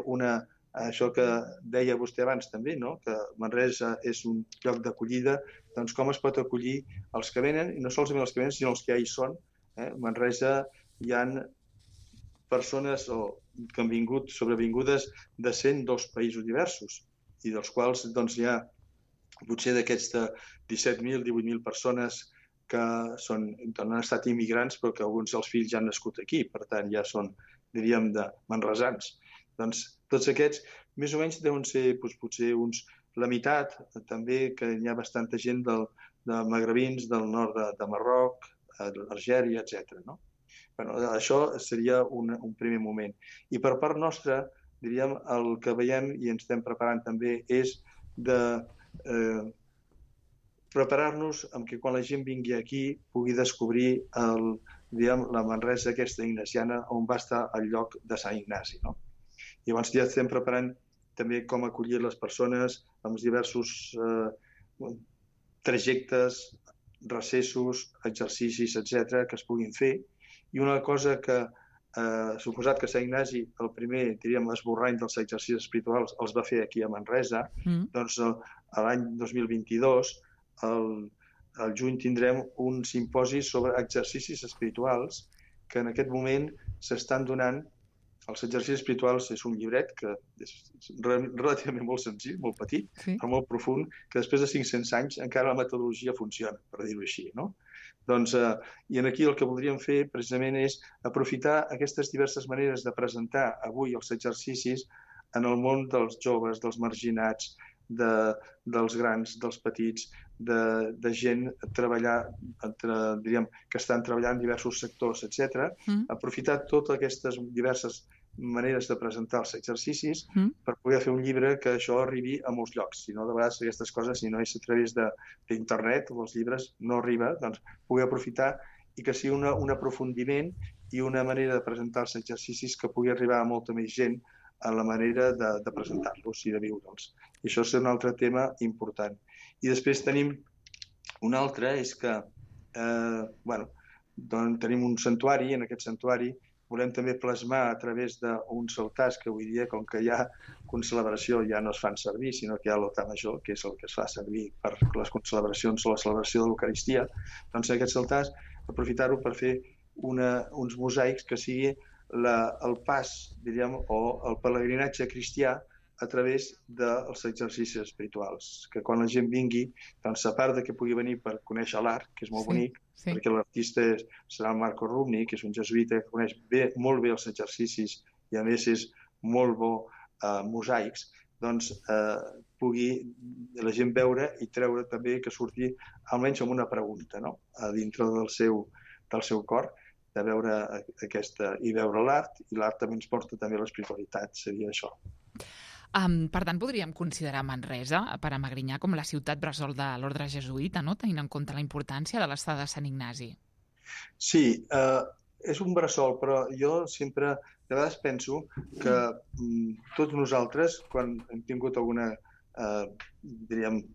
això que deia vostè abans també, no? Que Manresa és un lloc d'acollida, doncs com es pot acollir els que venen, i no solament els que venen, sinó els que ja hi són. Manresa hi ha persones que han vingut sobrevingudes de 102 països diversos i dels quals hi ha potser d'aquests 17.000, 18.000 persones que han estat immigrants però que alguns dels fills ja han nascut aquí, per tant ja són, diríem, de manresans. Doncs tots aquests més o menys deuen ser potser la meitat, també que hi ha bastanta gent de magrebins del nord de Marroc, Algèria, etc. Això seria un primer moment. I per part nostra, diríem, el que veiem i ens estem preparant també és de preparar-nos amb que quan la gent vingui aquí pugui descobrir la Manresa aquesta ignasiana on va estar el lloc de Sant Ignasi. Llavors ja estem preparant també com acollir les persones amb els diversos trajectes, recessos, exercicis, etc., que es puguin fer. I una cosa que, suposat que Sant Ignasi, el primer, diríem, esborrany dels exercicis espirituals, els va fer aquí a Manresa, doncs l'any 2022, al juny, tindrem un simposi sobre exercicis espirituals que en aquest moment s'estan donant. Els exercicis espirituals és un llibret que és relativament molt senzill, molt petit, però molt profund, que després de 500 anys encara la metodologia funciona, per dir-ho així, no? I aquí el que voldríem fer precisament és aprofitar aquestes diverses maneres de presentar avui els exercicis en el món dels joves, dels marginats, dels grans, dels petits, de gent que estan treballant en diversos sectors, etc. Aprofitar totes aquestes diverses maneres de presentar els exercicis per poder fer un llibre que això arribi a molts llocs. Si no, de vegades aquestes coses, si no és a través d'internet o els llibres, no arriba, doncs poder aprofitar i que sigui un aprofundiment i una manera de presentar els exercicis que pugui arribar a molta més gent en la manera de presentar-los i de viure'ls. I això és un altre tema important. I després tenim un altre, és que tenim un santuari, en aquest santuari volem també plasmar a través d'uns altars que avui dia, com que hi ha concelebració, ja no es fan servir, sinó que hi ha l'altar major, que és el que es fa servir per les concelebracions o la celebració de l'Eucaristia, doncs aquests altars, aprofitar-ho per fer uns mosaics que sigui el pas, diríem, o el pelegrinatge cristià a través dels exercicis espirituals. Que quan la gent vingui, doncs, a part que pugui venir per conèixer l'art, que és molt bonic, perquè l'artista serà el Marco Rubni, que és un jesuïta que coneix molt bé els exercicis i a més és molt bo mosaics, doncs pugui la gent veure i treure també que surti almenys amb una pregunta, no? A dintre del seu cor, de veure aquesta i veure l'art, i l'art també ens porta també a l'espiritualitat, seria això. Per tant, podríem considerar Manresa, per a Magrinyà, com la ciutat bressol de l'ordre jesuïta, no? Tenint en compte la importància de l'estada de Sant Ignasi. Sí, és un bressol, però jo sempre, de vegades penso que tots nosaltres, quan hem tingut algun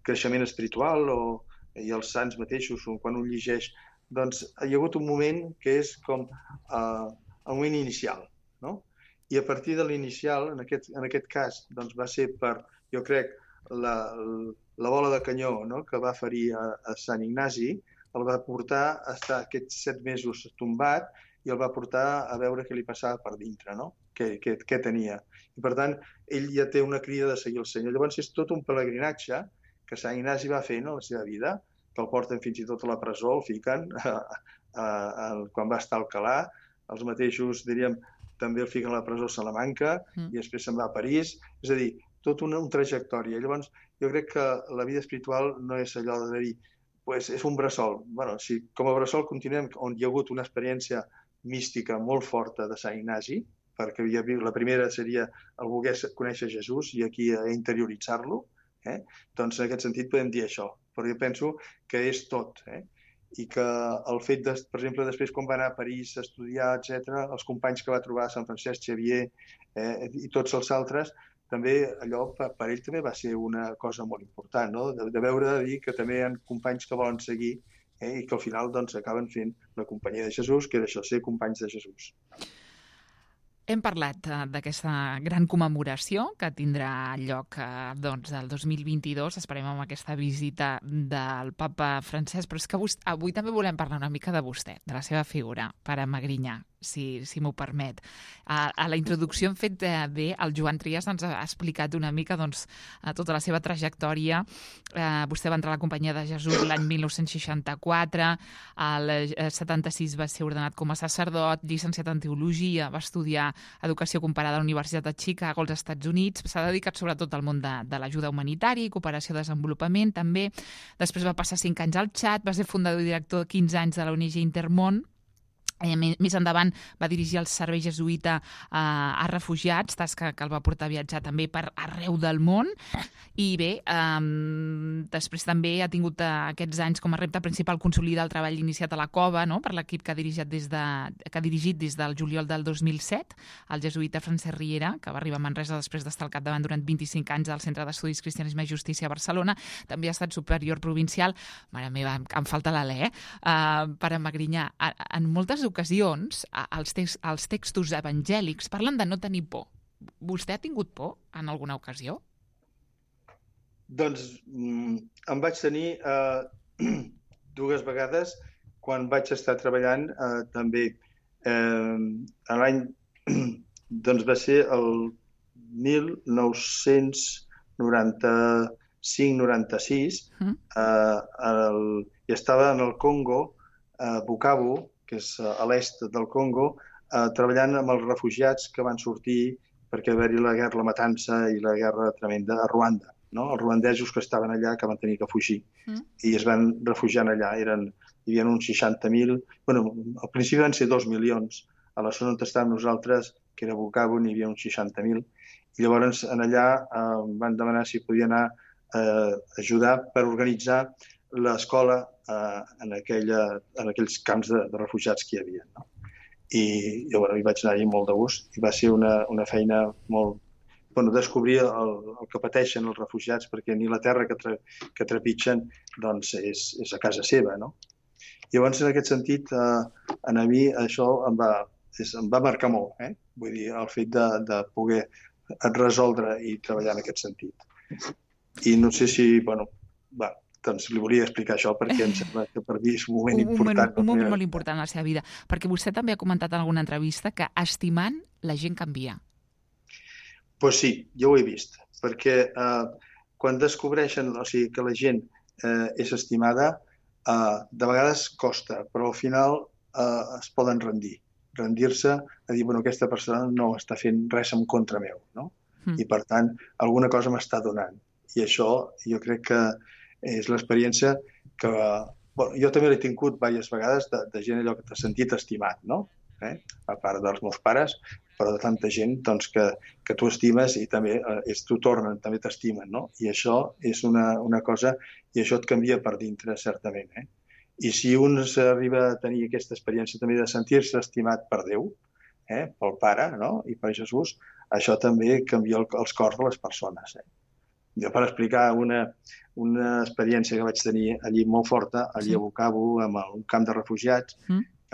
creixement espiritual i els sants mateixos, quan un llegeix, doncs hi ha hagut un moment que és com el moment inicial, no? I a partir de l'inicial, en aquest cas, doncs va ser per, jo crec, la bola de canyó, no?, que va ferir a Sant Ignasi, el va portar a estar aquests 7 mesos tombat i el va portar a veure què li passava per dintre, no?, què tenia. I per tant, ell ja té una crida de seguir el Senyor. Llavors és tot un pelegrinatge que Sant Ignasi va fer, no?, la seva vida, que el porten fins i tot a la presó, el fiquen quan va estar a Alcalà, els mateixos, diríem, també el fiquen a la presó a Salamanca i després se'n va a París. És a dir, tota una trajectòria. Llavors, jo crec que la vida espiritual no és allò de dir, pues és un bressol. Bueno, si com a bressol continuem on hi ha hagut una experiència mística molt forta de Sant Ignasi, perquè la primera seria el voler conèixer Jesús i aquí interioritzar-lo, doncs en aquest sentit podem dir això. Però jo penso que és tot, i que el fet, per exemple, després quan va anar a París a estudiar, etc., els companys que va trobar, Sant Francesc Xavier i tots els altres, també allò per ell també va ser una cosa molt important, no?, de veure, de dir que també hi ha companys que volen seguir i que al final doncs acaben fent la companyia de Jesús, que era això, ser companys de Jesús. Hem parlat d'aquesta gran commemoració que tindrà lloc doncs, el 2022. Esperem amb aquesta visita del papa Francesc, però és que avui també volem parlar una mica de vostè, de la seva figura, per a Magrinyà, si m'ho permet. A la introducció hem fet bé, el Joan Trias ens ha explicat una mica doncs, tota la seva trajectòria. Vostè va entrar a la Companyia de Jesús l'any 1964, al 76 va ser ordenat com a sacerdot, llicenciat en Teologia, va estudiar Educació Comparada a la Universitat de Chicago, als Estats Units. S'ha dedicat sobretot al món de l'ajuda humanitària i cooperació de desenvolupament, també. Després va passar 5 anys al Txad, va ser fundador i director 15 anys de la ONG Intermón. Més endavant va dirigir el servei jesuïta a refugiats, tasca que el va portar a viatjar també per arreu del món. I bé, després també ha tingut aquests anys com a repte principal consolidar el treball iniciat a la Cova, no?, per l'equip que ha dirigit des del juliol del 2007, el jesuïta Francesc Riera, que va arribar a Manresa després d'estar al capdavant durant 25 anys al Centre d'Estudis Cristianisme i Justícia a Barcelona. També ha estat superior provincial, mare meva, em falta l'alè, per a Magrinyà. En moltes ocasions, els textos evangèlics parlen de no tenir por. Vostè ha tingut por en alguna ocasió? Doncs em vaig tenir 2 vegades quan vaig estar treballant també. L'any, doncs va ser el 1995-96, i estava en el Congo, Bukavu, que és a l'est del Congo, treballant amb els refugiats que van sortir perquè va haver-hi la matança i la guerra tremenda a Ruanda, no? Els ruandesos que estaven allà que van tenir que fugir i es van refugiar allà. Hi havia uns 60.000, al principi van ser 2 milions. A la zona on estàvem nosaltres, que era Bukavu, n'hi havia uns 60.000. I llavors allà van demanar si podia anar a ajudar per organitzar l'escola en aquells camps de refugiats que hi havia, no? I jo hi vaig anar-hi molt de gust i va ser una feina molt... descobrir el que pateixen els refugiats, perquè ni la terra que trepitgen doncs és a casa seva, no? Llavors, en aquest sentit, a mi això em va marcar molt, vull dir, el fet de poder resoldre i treballar en aquest sentit. I no sé si, doncs li volia explicar això perquè em sembla que per mi és un moment important. Un moment molt important en la seva vida, perquè vostè també ha comentat en alguna entrevista que estimant la gent canvia. Doncs sí, jo ho he vist, perquè quan descobreixen que la gent és estimada, de vegades costa, però al final es poden rendir-se a dir, aquesta persona no està fent res en contra meu, no? I per tant, alguna cosa m'està donant. I això jo crec que és l'experiència que... Bueno, jo també l'he tingut diverses vegades de gent allò que t'ha sentit estimat, no? A part dels meus pares, però de tanta gent doncs, que tu estimes i també t'ho tornen, també t'estimen, no? I això és una cosa, i això et canvia per dintre, certament. I si un s'arriba a tenir aquesta experiència també de sentir-se estimat per Déu, pel Pare, no? I per Jesús, això també canvia els cors de les persones. Jo, per explicar una experiència que vaig tenir allí molt forta, allí a Bukavu, en un camp de refugiats,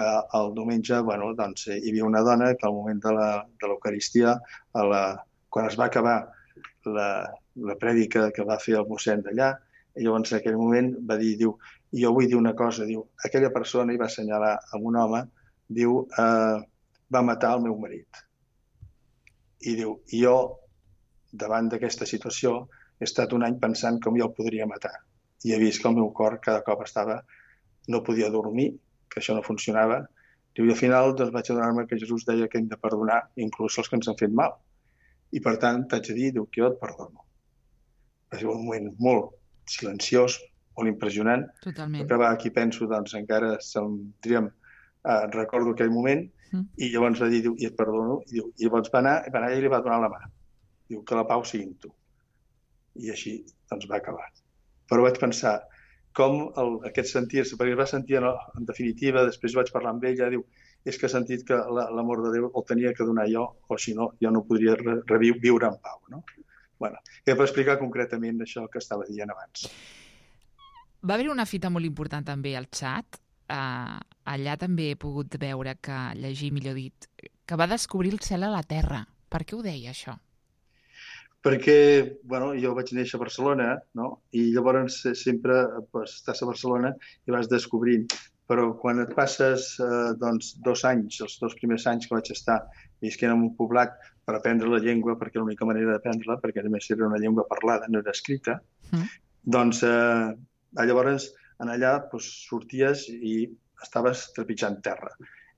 el diumenge, doncs, hi havia una dona que al moment de l'Eucaristia, quan es va acabar la prèdica que va fer el mossèn d'allà, i llavors en aquell moment va dir, diu, jo vull dir una cosa, diu, aquella persona, i va assenyalar amb un home, diu, va matar el meu marit. I diu, jo, davant d'aquesta situació, he estat un any pensant com jo el podria matar. I he vist que el meu cor cada cop no podia dormir, que això no funcionava. Diu, i al final doncs, vaig adonar-me que Jesús deia que hem de perdonar inclús els que ens han fet mal. I per tant, t'haig de dir, diu, que jo et perdono. Va ser un moment molt silenciós, molt impressionant. Totalment. Que va, aquí penso, doncs encara recordo aquell moment, i llavors va dir, diu, i et perdono. I llavors va anar i li va donar la mà. Diu, que la pau sigui amb tu. I així doncs va acabar. Però vaig pensar com aquest sentir-se, perquè es va sentir en definitiva, després vaig parlar amb ella, diu, és que he sentit que l'amor de Déu el tenia que donar jo, o si no, jo no podria viure en pau. No? Bueno, per explicar concretament això que estava dient abans. Va haver una fita molt important també al xat. Allà també he pogut veure llegir, millor dit, que va descobrir el cel a la terra. Per què ho deia, això? Perquè, jo vaig néixer a Barcelona, no? I llavors sempre estàs a Barcelona i vas descobrint. Però quan et passes 2 anys, els 2 primers anys que vaig estar visquent en un poblat per aprendre la llengua, perquè l'única manera d'aprendre-la, perquè a més era una llengua parlada, no era escrita, doncs llavors allà sorties i estaves trepitjant terra.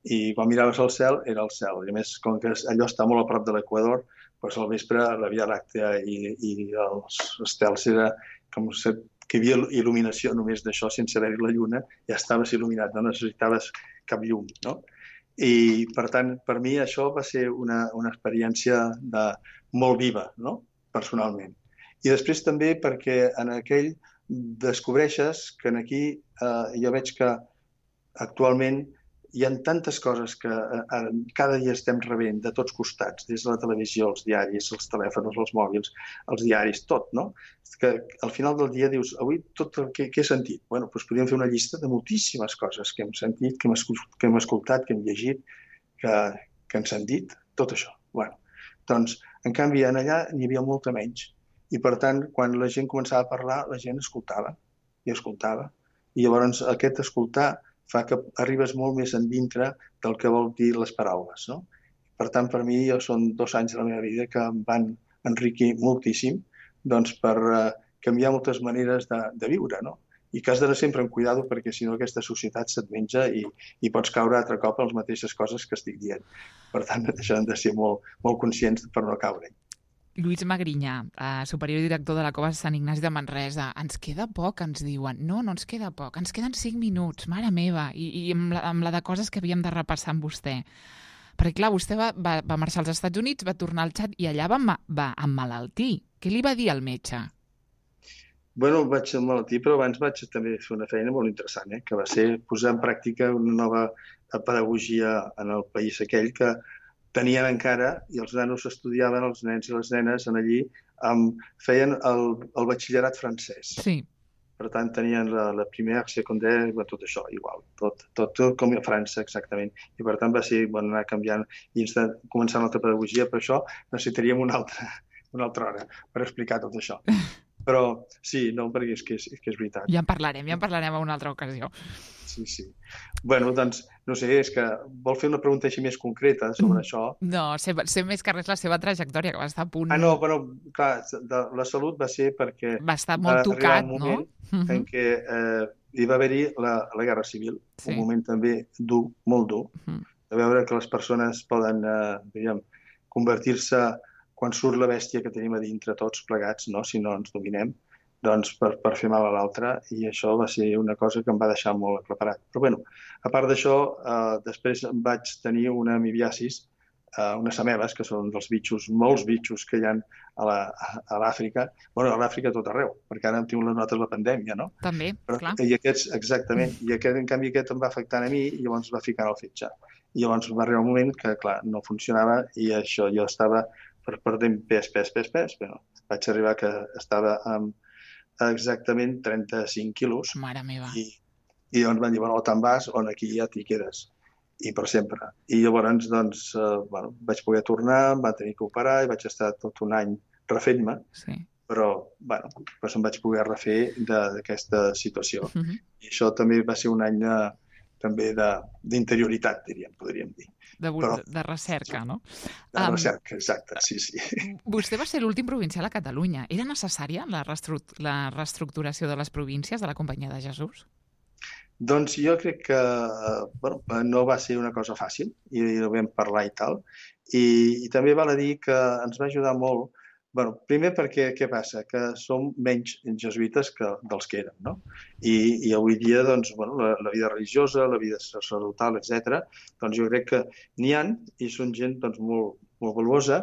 I quan miraves al cel, era el cel. I a més, com que allò està molt a prop de l'Equador, doncs al vespre la Via Làctea i els estels era com que hi havia il·luminació només d'això, sense haver-hi la lluna, ja estaves il·luminat, no necessitaves cap llum, no? I, per tant, per mi això va ser una experiència molt viva, no? Personalment. I després també perquè en aquell descobreixes que aquí jo veig que actualment hi ha tantes coses que cada dia estem rebent de tots costats, des de la televisió, els diaris, els telèfons, els mòbils, els diaris, tot, no? Que al final del dia dius, avui tot el que he sentit? Bueno, doncs podríem fer una llista de moltíssimes coses que hem sentit, que hem escoltat, que hem llegit, que ens han dit, tot això. Bueno, doncs, en canvi, allà n'hi havia molta menys. I, per tant, quan la gent començava a parlar, la gent escoltava, i escoltava. I llavors aquest escoltar fa que arribes molt més endintre del que vol dir les paraules, no? Per tant, per mi, són 2 anys de la meva vida que em van enriquir moltíssim doncs, per canviar moltes maneres de viure, no? I que has d'anar sempre amb cuidado perquè, si no, aquesta societat se't menja i pots caure altre cop en les mateixes coses que estic dient. Per tant, això hem de ser molt, molt conscients per no caure-hi. Lluís Magrinyà, superior i director de la Cova de Sant Ignasi de Manresa. Ens queda poc, ens diuen. No ens queda poc. Ens queden 5 minuts, mare meva. I amb la de coses que havíem de repassar amb vostè. Perquè, clar, vostè va marxar als Estats Units, va tornar al Txad i allà va emmalaltir. Què li va dir al metge? Bueno, vaig emmalaltir, però abans vaig també fer una feina molt interessant, que va ser posar en pràctica una nova pedagogia en el país aquell que tenien encara, i els nanos estudiaven, els nens i les nenes allí, feien el batxillerat francès. Sí. Per tant, tenien la primera, secundària, tot això, igual. Tot com a França, exactament. I per tant va ser anar canviant i començar una altra pedagogia. Per això necessitaríem una altra hora per explicar tot això. Però sí, no, perquè és que és veritat. Ja en parlarem en una altra ocasió. Sí. Bueno, doncs, no sé, és que vol fer una pregunta així més concreta sobre això. No, sé més que res la seva trajectòria, que va estar a punt... No, però, clar, la salut va ser perquè... Va estar molt tocat, no? Va arribar un moment en què hi va haver-hi la Guerra Civil, un moment també dur, molt dur, de veure que les persones poden, convertir-se quan surt la bèstia que tenim a dintre tots plegats, no? Si no ens dominem, doncs per fer mal a l'altre, i això va ser una cosa que em va deixar molt aclaparat. Però bueno, a part d'això, després vaig tenir una amibiasis, unes amebes, que són dels bitxos, molts bitxos que hi ha a l'Àfrica, bueno, a l'Àfrica tot arreu, perquè ara hem tingut les notes de la pandèmia, no? També, clar. I aquests, exactament, i en canvi aquest em va afectant a mi i llavors va ficar en el fetge. I llavors va arribar un moment que, clar, no funcionava i això, jo estava perdent pes, però vaig arribar que estava amb exactament 35 quilos. Mare meva. I llavors van dir, bueno, o te'n vas o aquí ja t'hi quedes. I per sempre. I llavors, doncs, vaig poder tornar, em va tenir que operar i vaig estar tot un any refent-me, però, doncs em vaig poder refer d'aquesta situació. I això també va ser un any també d'interioritat, podríem dir. De recerca, no? De recerca, exacte, sí. Vostè va ser l'últim provincial a Catalunya. Era necessària la reestructuració de les províncies de la Companyia de Jesús? Doncs jo crec que no va ser una cosa fàcil, i ho vam parlar i tal, i també val a dir que ens va ajudar molt, primer perquè, què passa? Que som menys jesuïtes dels que érem, no? I avui dia, doncs, la vida religiosa, la vida sacerdotal, etc., doncs jo crec que n'hi ha, i són gent doncs, molt, molt valuosa,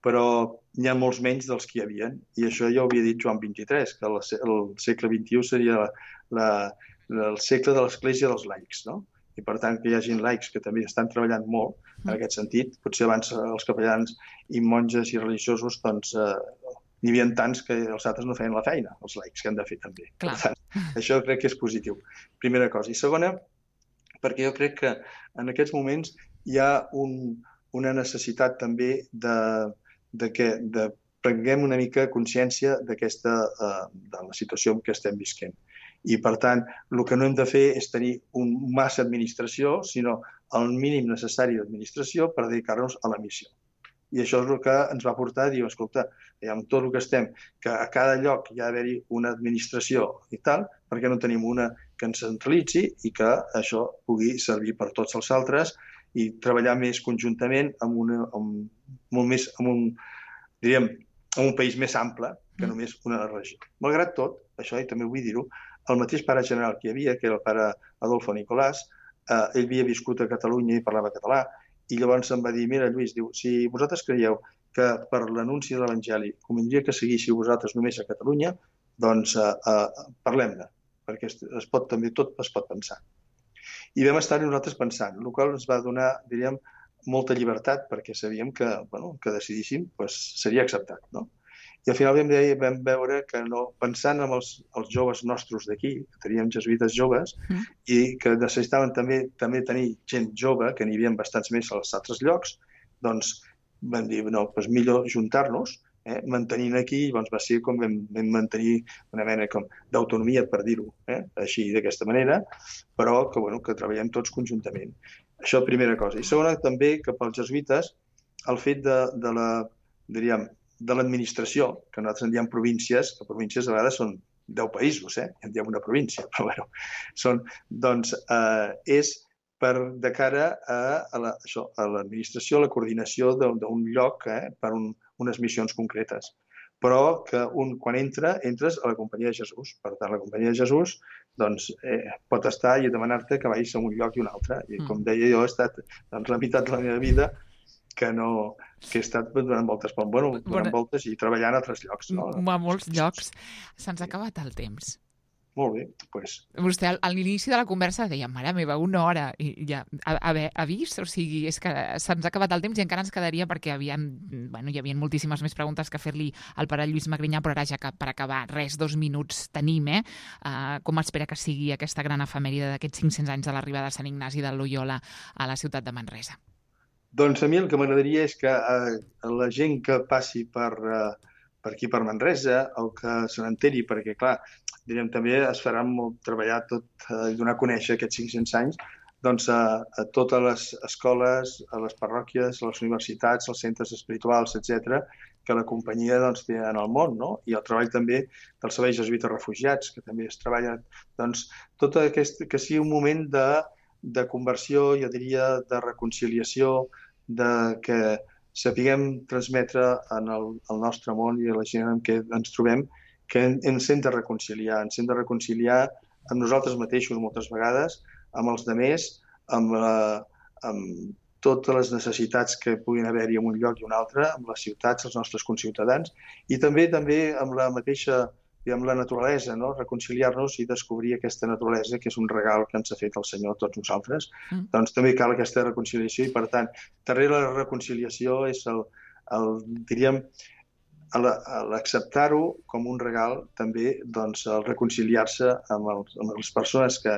però n'hi ha molts menys dels que hi havia. I això ja ho havia dit Joan XXIII, que el segle XXI seria el segle de l'Església dels laics, no? I per tant que hi hagi laics que també estan treballant molt en aquest sentit. Potser abans els capellans i monges i religiosos doncs n'hi havia tants que els altres no feien la feina, els laics que han de fer també. Clar. Per tant, això crec que és positiu. Primera cosa. I segona, perquè jo crec que en aquests moments hi ha una necessitat també de que prenguem una mica consciència de la situació en què estem visquent. I, per tant, el que no hem de fer és tenir massa administració, sinó el mínim necessari d'administració per dedicar-nos a la missió. I això és el que ens va portar a dir, escolta, amb tot el que estem, que a cada lloc hi ha d'haver-hi una administració i tal, perquè no tenim una que ens centralitzi i que això pugui servir per tots els altres i treballar més conjuntament amb un país més ample que només una regió. Malgrat tot, això, i també vull dir-ho, el mateix pare general que hi havia, que era el pare Adolfo Nicolàs, ell havia viscut a Catalunya i parlava català, i llavors em va dir, mira, Lluís, diu, si vosaltres creieu que per l'anunci de l'Evangeli convindria que seguíssiu vosaltres només a Catalunya, doncs parlem-ne, perquè també tot es pot pensar. I vam estar nosaltres pensant, el qual ens va donar, diríem, molta llibertat, perquè sabíem que decidíssim seria acceptat, no? I al final vam veure que pensant en els joves nostres d'aquí, que teníem jesuïtes joves, i que necessitaven també tenir gent jove, que n'hi havia bastants més als altres llocs, doncs vam dir, millor juntar-nos, mantenint aquí, llavors va ser com vam mantenir una mena d'autonomia, per dir-ho així, d'aquesta manera, però que treballem tots conjuntament. Això primera cosa. I segona, també, que pels jesuïtes, el fet de l'administració, que nosaltres en diem províncies, que províncies a vegades són 10 països, en diem una província, però és de cara a l'administració, a la coordinació d'un lloc per unes missions concretes. Però que quan entres a la Companyia de Jesús. Per tant, la Companyia de Jesús pot estar i demanar-te que vagis a un lloc i un altre. I com deia, jo he estat la meitat de la meva vida que he estat donant voltes i treballant a altres llocs. A molts llocs. Se'ns ha acabat el temps. Molt bé, doncs. Vostè a l'inici de la conversa deia, mare meva, 1 hora, i ja ha vist? O sigui, és que se'ns ha acabat el temps i encara ens quedaria perquè hi havia moltíssimes més preguntes que fer-li al pare Lluís Magrinyà, però ara ja que per acabar, 2 minuts tenim, com espera que sigui aquesta gran efemèride d'aquests 500 anys de l'arribada de Sant Ignasi de Loyola a la ciutat de Manresa? Doncs a mi el que m'agradaria és que la gent que passi per aquí per Manresa o que se n'enteri, perquè clar, diríem, també es farà molt treballar i donar a conèixer aquests 500 anys doncs, a totes les escoles, a les parròquies, a les universitats, als centres espirituals, etc., que la companyia té en el món, no? I el treball també dels serveis jesuïtes refugiats, que també es treballa. Doncs tot aquest, que sigui un moment de conversió, jo diria, de reconciliació, que sapiguem transmetre en el nostre món i a la gent amb què ens trobem que ens hem de reconciliar amb nosaltres mateixos moltes vegades, amb els altres, amb totes les necessitats que puguin haver-hi en un lloc i un altre, amb les ciutats, els nostres conciutadans, i també amb la mateixa, amb la naturalesa, no? Reconciliar-nos i descobrir aquesta naturalesa, que és un regal que ens ha fet el Senyor a tots nosaltres. Doncs també cal aquesta reconciliació i, per tant, darrere la reconciliació és diríem, l'acceptar-ho com un regal, també doncs, el reconciliar-se amb les persones que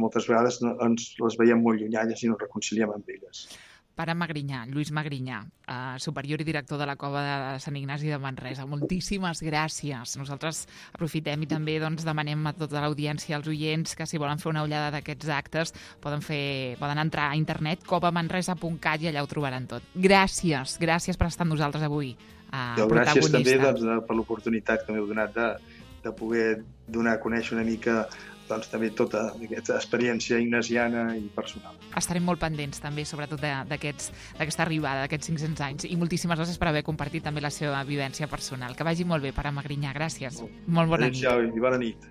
moltes vegades les veiem molt llunyanyes i no ens reconciliem amb elles. Pare Magrinyà, Lluís Magrinyà, superior i director de la Cova de Sant Ignasi de Manresa, moltíssimes gràcies. Nosaltres aprofitem i també demanem a tota l'audiència, als oients, que si volen fer una ullada d'aquests actes poden entrar a internet, covamanresa.cat, i allà ho trobaran tot. Gràcies per estar amb nosaltres avui. Gràcies també per l'oportunitat que m'heu donat de poder donar a conèixer una mica també tota aquesta experiència ignasiana i personal. Estarem molt pendents també, sobretot d'aquesta arribada, d'aquests 500 anys, i moltíssimes gràcies per haver compartit també la seva vivència personal. Que vagi molt bé, pare Magrinyà, gràcies. Molt bona nit. Adéu-siau i bona nit.